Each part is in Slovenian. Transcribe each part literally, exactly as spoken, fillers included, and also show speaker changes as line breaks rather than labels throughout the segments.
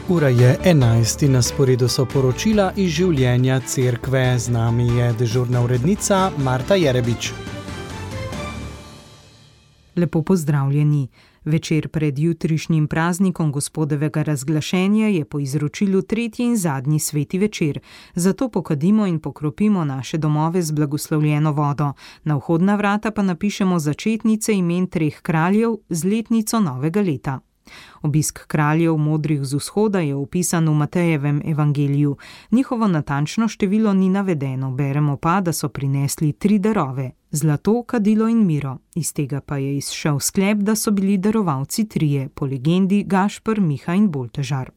Ura je enajst in na sporedu so poročila iz življenja cerkve. Z nami je dežurna urednica Marta Jerebič.
Lepo pozdravljeni. Večer pred jutrišnjim praznikom Gospodovega razglašenja je po izročilu tretji in zadnji sveti večer. Zato pokadimo in pokropimo naše domove z blagoslovljeno vodo. Na vhodna vrata pa napišemo začetnice imen treh kraljev z letnico novega leta. Obisk kraljev modrih z vzhoda je opisan v Matejevem evangeliju. Njihovo natančno število ni navedeno, beremo pa, da so prinesli tri darove: zlato, kadilo in miro. Iz tega pa je izšel sklep, da so bili darovalci trije, po legendi Gašper, Miha in Boltežar.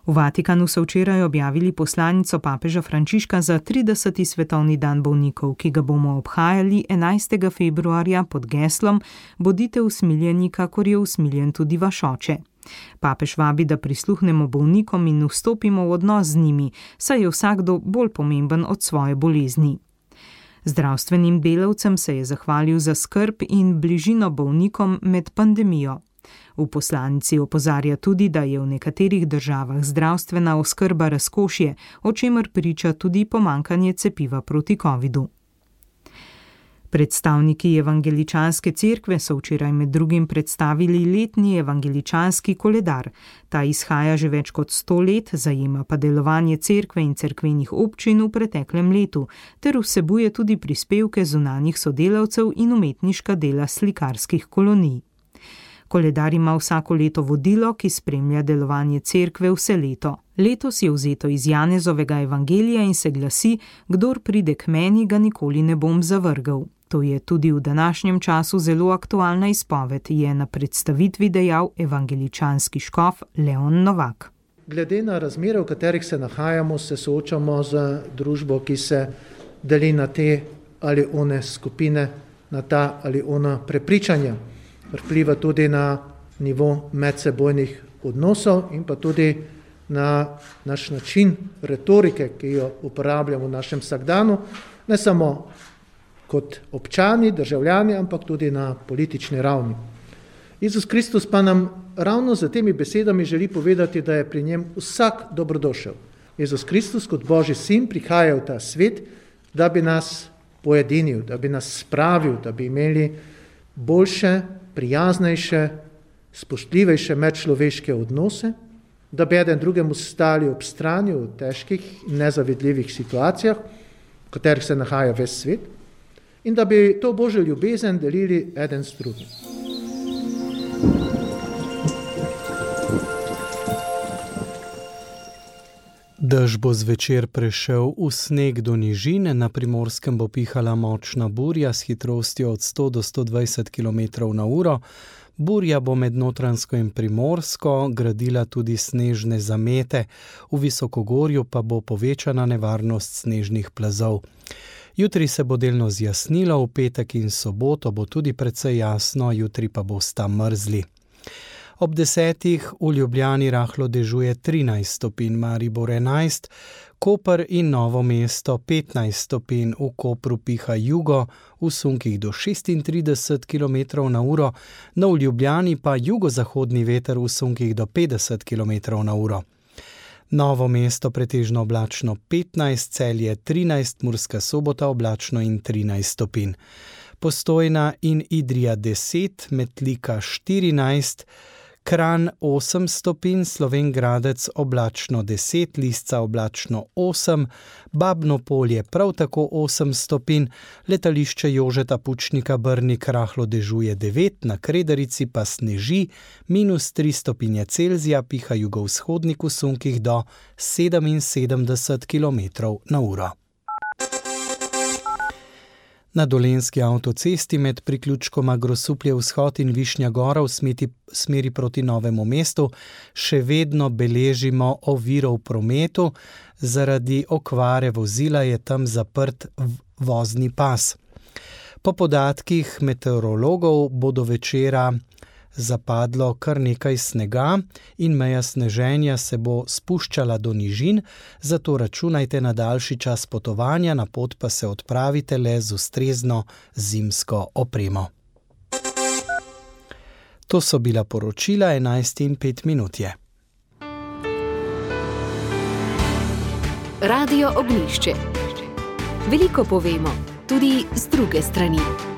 V Vatikanu so včeraj objavili poslanico papeža Frančiška za trideseti svetovni dan bolnikov, ki ga bomo obhajali enajstega februarja pod geslom Bodite usmiljeni, kakor je usmiljen tudi vaš oče. Papež vabi, da prisluhnemo bolnikom in vstopimo v odnos z njimi, saj je vsakdo bolj pomemben od svoje bolezni. Zdravstvenim delavcem se je zahvalil za skrb in bližino bolnikom med pandemijo. V poslanici opozarja tudi, da je v nekaterih državah zdravstvena oskrba razkošje, o čemer priča tudi pomanjkanje cepiva proti covidu. Predstavniki evangeličanske cerkve so včeraj med drugim predstavili letni evangeličanski koledar. Ta izhaja že več kot sto let, zajema pa delovanje cerkve in cerkvenih občin v preteklem letu, ter vsebuje tudi prispevke zunanjih sodelavcev in umetniška dela slikarskih kolonij. Koledar ima vsako leto vodilo, ki spremlja delovanje cerkve vse leto. Letos je vzeto iz Janezovega evangelija in se glasi: Kdor pride k meni, ga nikoli ne bom zavrgel. To je tudi v današnjem času zelo aktualna izpoved, je na predstavitvi dejal evangeličanski škof Leon Novak.
Glede na razmere, v katerih se nahajamo, se soočamo z družbo, ki se deli na te ali one skupine, na ta ali ona prepričanja. Vpliva tudi na nivo medsebojnih odnosov in pa tudi na naš način retorike, ki jo uporabljamo v našem vsakdanu, ne samo kot občani, državljani, ampak tudi na politični ravni. Jezus Kristus pa nam ravno z temi besedami želi povedati, da je pri njem vsak dobrodošel. Jezus Kristus kot Božji sin prihaja v ta svet, da bi nas pojedinil, da bi nas spravil, da bi imeli boljše, prijaznejše, spoštljivejše medčloveške odnose, da bi eden drugemu stali ob strani v težkih in nezavidljivih situacijah, v katerih se nahaja ves svet, in da bi to Božjo ljubezen delili eden s drugim.
Dež bo zvečer prešel v sneg do nižin, na Primorskem bo pihala močna burja s hitrostjo od sto do sto dvajset kilometrov na uro. Burja bo med Notranjsko in Primorsko gradila tudi snežne zamete, v visokogorju pa bo povečana nevarnost snežnih plazov. Jutri se bo delno zjasnilo, v petek in soboto bo tudi precej jasno, jutri pa bosta mrzli. Ob desetih v Ljubljani rahlo dežuje trinajst stopinj, Maribor enajst, Koper in Novo mesto petnajst stopinj, v Kopru piha jugo, v sunkih do šestintrideset kilometrov na uro, no v Ljubljani pa jugozahodni veter v sunkih do petdeset kilometrov na uro. Novo mesto pretežno oblačno petnajst, Celje trinajst, Murska Sobota oblačno in trinajst stopinj. Postojna in Idrija deset, Metlika štirinajst, Kranj osem stopinj, Slovenj Gradec oblačno deset, Lisca oblačno osem, Babno Polje prav tako osem stopinj, letališče Jožeta Pučnika Brnik rahlo dežuje devet, na Kredarici pa sneži, minus tri stopinje Celzija, piha jugovzhodnik v sunkih do sedeminsedemdeset kilometrov na uro. Na Dolenjski avtocesti med priključkoma Grosuplje vzhod in Višnja Gora v smeti, smeri proti Novemu mestu še vedno beležimo oviro v prometu. Zaradi okvare vozila je tam zaprt vozni pas. Po podatkih meteorologov bo do večera zapadlo kar nekaj snega in meja sneženja se bo spuščala do nižin, zato računajte na daljši čas potovanja, na pot pa se odpravite le z ustrezno zimsko opremo. To so bila poročila, enajst in pet minut je.
Radio Ognjišče. Veliko povemo, tudi z druge strani.